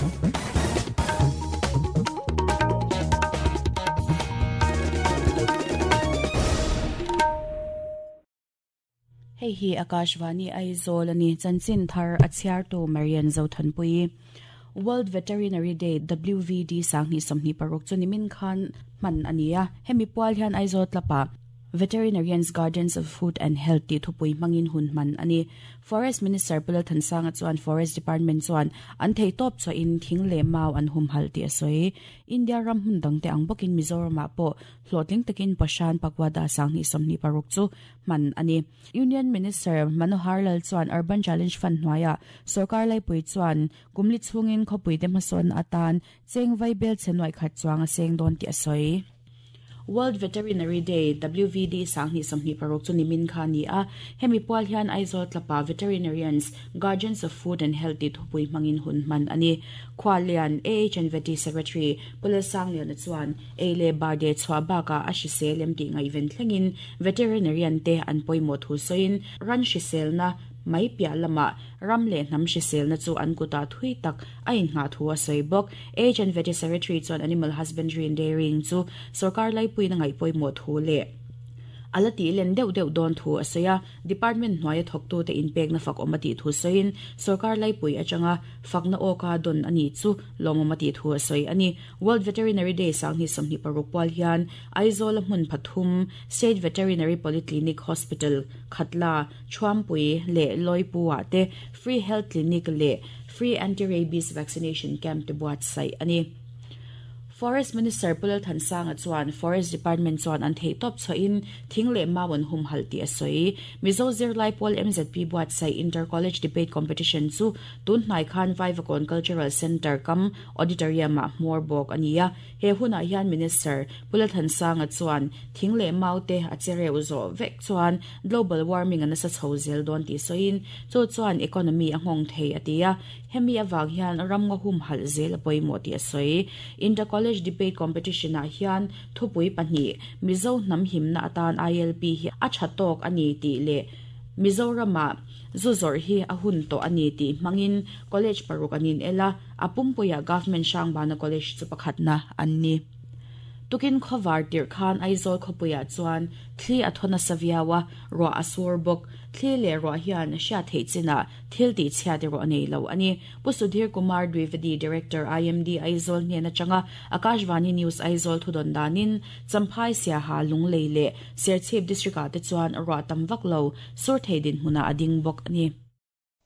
Hei hi Akashvani Aizawl a ni. Chanchin thar a chhiartu Marian Zothanpuii. World Veterinary Day, WVD, 2026 chu nimin khan hman a ni a. Hemi pual hian Aizawl tlapah Veterinarians Guardians of Food and Health tih thupui hmangin hun hman a ni. Forest Minister Pu Lalthansanga chuan Forest Department chuan an theihtawp chhuahin thing leh mau an humhalh tih a sawi. India ram hmun dangte ang bawkin Mizoramah pawh hlawhtling takin Poshan Pakwada 2026 chu hman a ni. Union Minister Manohar Lal chuan Urban Challenge Fund hnuaiah sorkar laipui chuan kumli chhungin khawpuite hmasawnna atan cheng vai bel chhe nuaih khat chuang a seng dawn tih a sawi. World Veterinary Day, WVD, 2026 chu nimin kha a ni a, hemi pual hian Aizawl tlapa Veterinarians, Guardians of Food and Health tih thupui hmangin hun hman a ni. Khualian, AHNVT Secretary Pu Lalsangliana chuan ei leh bar deh chhuah bakah a hrisel em tih ngaihven thlengin Veterinarian te an pawimawh thu sawiin ran hriselna mai piah lamah ram leh hnam hriselna chu an kutah thui tak a inngah thu a sawi bawk. Age and Vety Secretary chuan Animal Husbandry and Dairying chu sorkar laipuiin a ngaih pawimawh thu leh a la tih len deuh deuh dawn thu a sawi a. Department hnuaia thawktute inpekna fak awm a tih thu sawiin sorkar laipui atanga fakna awka dawn a nih chu lawmawm a tih thu a sawi a ni. World Veterinary Day 2026 pual hian Aizawl-a hmun pathum State Veterinary Polyclinic Hospital, Khatla, Thuampui leh Lawipu-ah te Free Health Clinic leh Free Anti-Rabies Vaccination Camp te buatsaih a ni. Forest Minister Pu Lalthansanga chuan Forest Department chuan an theihtawp chhuahin thing leh mau an humhalh tih a sawi. Mizo zirlai pawl MZP buatsaih Inter-College Debate Competition chu tun hnai khan Vaivakawn Cultural Centre kam Auditorium-ah hmawr bawk a ni a. He hunah hian Minister Pu Lalthansanga chuan thing leh mau te a che reuh zawh vek chuan Global warming a nasa chho zel dawn tih sawiin, chu chuan economy a nghawng thei a ti a, hemi avang hian ram nga humhalh zel a pawimawh tih a sawi. Inter-College Debate Competition-ah hian thupui pahnih, Mizo hnam himna atan ILP hi a tha tawk a ni tih leh Mizoramah zu zawrh hi a hun tawh a ni tih hmangin college paruk an inel a, a pumpuiah Government Hrangbana College chu pakhatna an ni. Tukin khawvar tirh khan Aizawl khawpuiah chuan thli a thaw nasa viau a, ruah a sur bawk. Thli leh ruah hian hriat theih chinah thil tih chhiat erawh a nei lo a ni. Pu Sudhir Kumar Dwivedi, Director, IMD Aizawl hnen atanga Akashvani News Aizawl thudawn danin Champhai, Siaha, Lunglei leh Serchhip District-ah te chuan ruah tam vak lo sur thei dinhmunah a ding bawk a ni.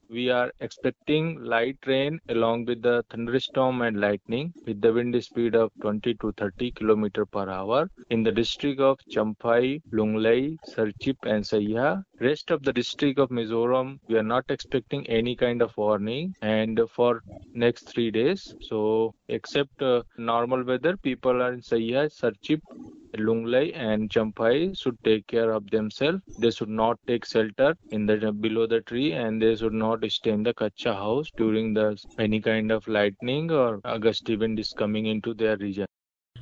We are expecting light rain along with the thunderstorm and lightning with the wind speed of 20 to 30 km per hour in the district of Champhai, Lunglei, Serchhip and Saiha. Rest of the district of Mizoram, we are not expecting any kind of warning and for next 3 days. So except uh, normal weather, people are in Saiha, Serchhip, Lunglei and Champhai should take care of themselves. They should not take shelter in the below the tree and they should not stay in the kacha house during the any kind of lightning or gusty wind is coming into their region.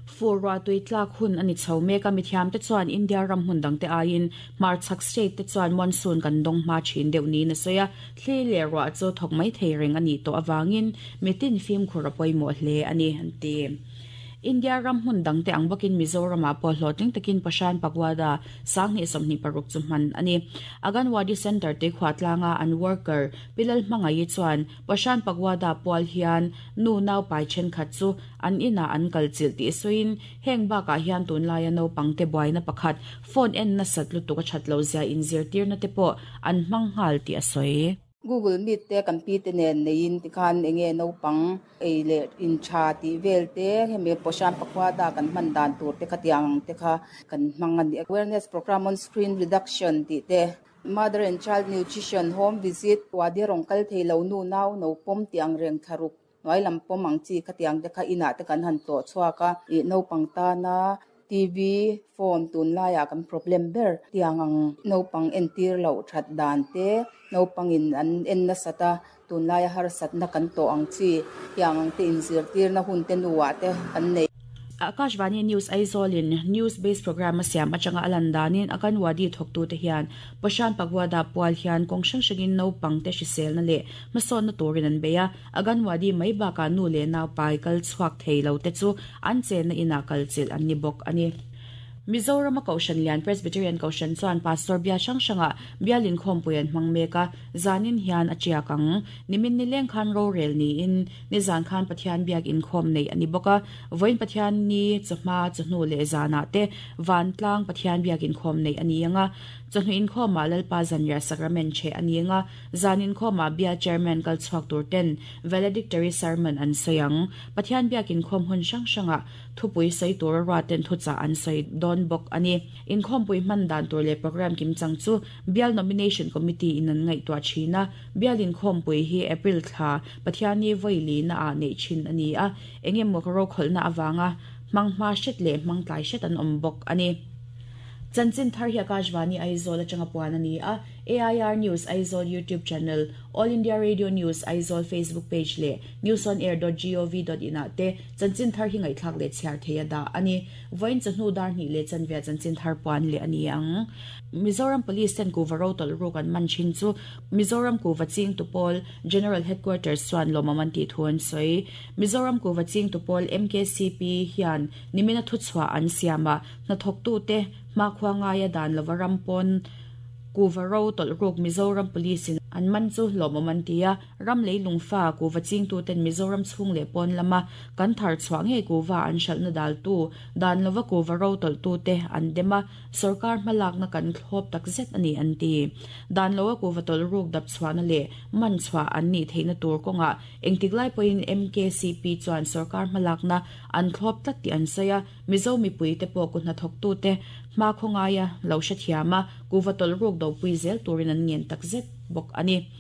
Fur ruahtui tlak hun a ni chho mek a, mithiamte chuan India ram hmun dangte aiin hmarchhak state te chuan monsoon kan dawng hma thin deuh niin a sawi a, thli leh ruah chu thawk mai thei reng a nih tawh avangin mitin fimkhur a pawimawh hle a ni, an ti. India ram hmun dangte ang bawkin Mizoramah pawh hlawhtling takin Pashan Pagoda 2026 chu hman a ni. Aganwadi Centre te khuatlanga an worker Pi Lalhmangaih-i chuan Pashan Pagoda pual hian nu naupai thenkhat chu an inah an kal chilh tih sawiin heng bakah hian tunlaia naupangte buaina pakhat phone en nasat lutuk a that lohzia inzirtirna te pawh an hmang nghal tih a sawi. Google Meet te kan pi te nen neiin tikhan enge naupang ei leh in tha tih vel te hemi Poshan Pakhwada kan hman dan tur te khatiang ang te kha kan hmang a ni. Awareness program on screen reduction tih te, mother and child nutrition, home visit, wadi rawng kal thei lo nu nau no pawm tih ang reng thlaruk hnuai lam pawm ang chi khatiang te kha inah te kan han tlawh chhuak a, ih naupang tana TV, phone tunlaiah kan problem ber tiang ang naupang entir loh that dan te, naupangin an en nasat a, tunlaia harsatna kan tawh ang chi tiang ang te inzirtirna hun te nuah te kan nei. Akashvani News Aizawl-in News Based Programme a siam atanga a lan danin Anganwadi thawktute hian Poshan Pakhwada pual hian kawng hrang hrangin naupangte hriselna leh hmasawnna turin an bei a, Anganwadi mai bakah nu leh naupai kal chhuak thei lo te chu an chenna inah kalchilh an ni bawk a ni. Mizorama Kohhran lian Presbyterian Kohhran chuan Pastor bia hrang hrangah bial inkhawmpui an hmang mek a, zanin hian a tiak ang. Nimin nileng khan rorel niin nizan khan Pathian biak inkhawm neih a ni bawk a, vawiin Pathian ni chawhma, chawhnu leh zanah te vantlang Pathian biak inkhawm neih a ni ang a. Chawhnu inkhawmah Lalpa Zanriah Sacrament chheh a ni ang a, zan inkhawmah bial Chairman kal chhuak tur ten Valedictory Sermon an sawi ang. Pathian biak inkhawm hun hrang hrangah Thupui sawi tura ruaten thuchah an sawi dawn bawk a ni. Inkhawmpui hman dan tur leh programme kimchang chu Bial Nomination Committee in an ngaihtuah thin a, Bial inkhawmpui hi April thla Pathianni vawi lina ah neih thin a ni a, eng emaw rokhawlhna avanga hmang hma hret leh hmang tlai hret an awm bawk a ni. Chanchin thar hi Akashvani Aizawl atanga puan a ni a, AIR News Aizawl YouTube channel, All India Radio News Aizawl Facebook page leh newsonair dot gov dot in ah te Chanchin thar hi ngaihthlak leh chhiar thei a dah a ni. Vawiin chawhnu dar hnih leh chanvia chanchin thar puan leh a ni ang. Mizoram Police ten kuva ro tawlh ruk an man thin chu Mizoram Kuva Ching Tupawl General Headquarters chuan lawmawm an tih thu an sawi. Mizoram Kuva Ching Tupawl, MKCP, hian nimina thuchhuah an siam a, hnathawktute hmakhua ngaia dan lova ram pawn kuva ro tawlh ruk Mizoram Police in an man chu lawmawm an ti a. Ram leilung fa kuva chingtuten Mizoram chhung leh pawn lama kan thar chhuah ngei kuva an hralhna daltu, dan lova kuva ro tawlhtute an dem a, sorkar hmalakna kan thlawp tak zet a ni an ti. Dan loa kuva tawlh ruk dap chhuahna leh man chhuah an nih theihna tur kawngah engtik lai pawhin MKCP chuan sorkar hmalakna an thlawp tlat tih an sawi a, Mizo mipuite pawh ku hnathawktute hma khawngaia lo hrethiam a, kuva tawlh ruk dopui zel turin an ngen tak zet bawk a ni.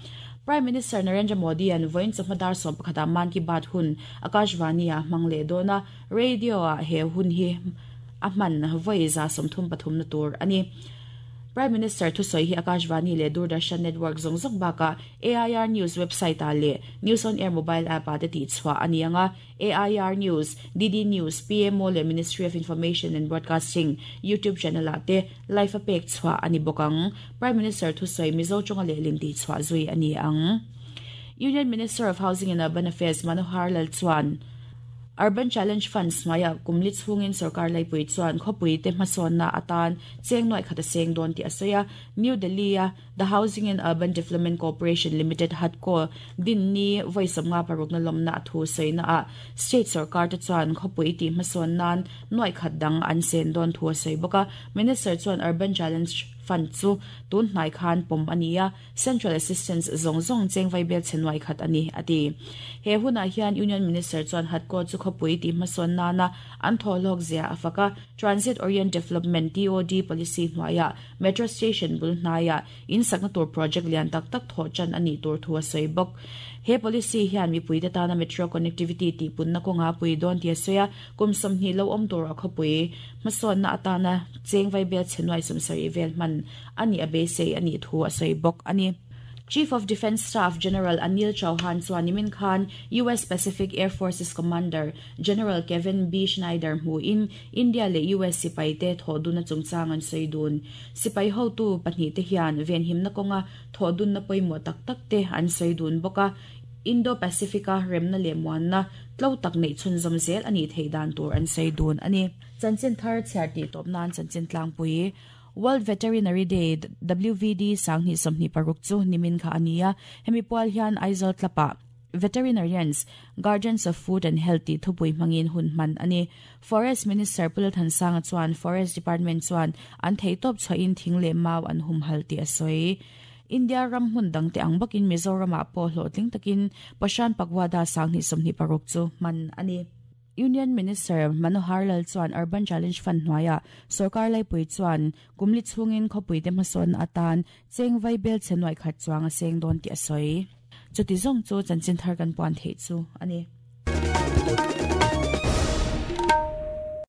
Prime Minister Narendra Modi-a'n vawiin chawhma dar 11 ah Mann Ki Baat hun Akashvani-ah a hmang leh dawn a, radio-ah he hun hi a hman vawi 33 na tur a ni. Prime Minister thusawi hi Akashvani leh Doordarshan network zawng zawng bakah AIR News website-ah leh News on Air mobile app-ah te tihchhuah a ni ang a, AIR News, DD News, PMO leh Ministry of Information and Broadcasting YouTube channel-ah te live a pek chhuah a ni bawk ang. Prime Minister thusawi Mizo tawnga lehlin tih chhuah zui a ni ang. Union Minister of Housing and Urban Affairs Manohar Lal chuan Urban Challenge Funds hnuaiah kum li chhungin sorkar laipui chuan khawpui te hmasawnna atan cheng nuaih khat a seng dawn tih a sawi a. New Delhi-a The Housing and Urban Development Corporation Limited, HUDCO, din ni vawi 56 na lawmna a thu sawina ah state sorkar te chuan khawpui tih hmasawn nan nuaih khat dang an sen dawn thu a sawi bawk a. Minister chuan Urban Challenge Fund chu tun hnai khan pawm a ni a, Central Assistance zawng zawng cheng vaibel chhe nuaih khat a ni, a ti. He hunah hian Union Minister chuan HUDCO chu khawpui tih hmasawn nana an thawhlawk zia a fak a, Transit Orient Development, TOD, policy hnuaiah Metro Station bul hnaiah in sakna tur project lian tak tak thawh tan a nih tur thu a sawi bawk. He policy hian mipuite tana metro connectivity tihpunna kawnga pui dawn tih a sawi a, kum 20 lo awm tur a khawpui hmasawnna atana cheng vaibel chhe nuai 70 vel hman a nih a beisei a nih thu a sawi bawk a ni. Chief of Defence Staff General Anil Chauhan chuan nimin khan US Pacific Air Forces Commander General Kevin B. Schneider hmuhin India leh US sipaite thawhdunna chungchang an sawi dun. Sipai hotu pahnihte hian venhimna kawnga thawhdunna pawimawh tak takte an sawi dun bawk a, Indo-Pacific-a remna leh muanna tlo tak neih chhunzawm zel a nih theih dan tur an sawi dun a ni. Chanchin thar chhiar tih tawp nan chanchin tlangpui World Veterinary Day, WVD, 2026 chu nimin kha a ni a, hemi pual hian Aizawl Club-ah Veterinarians, Guardians of Food and Health tih thupui hmangin hun hman a ni. Forest Minister Pu Lalthansanga chuan Forest Department chuan an theihtawp chhuahin thing leh mau an humhalh tih a sawi. India ram hmun dangte ang bawkin Mizoramah pawh hlawhtling takin Poshan Pakhwada 2026 chu hman a ni. Union Minister Manohar Lal chuan Urban Challenge Fund hnuaiah sorkar laipui chuan kum li chhungin khawpuite hmasawnna atan cheng vaibel chhe nuaih khat chuang a seng dawn tih a sawi. Chuti zawng chu chanchin thar kan puan theih chu a ni.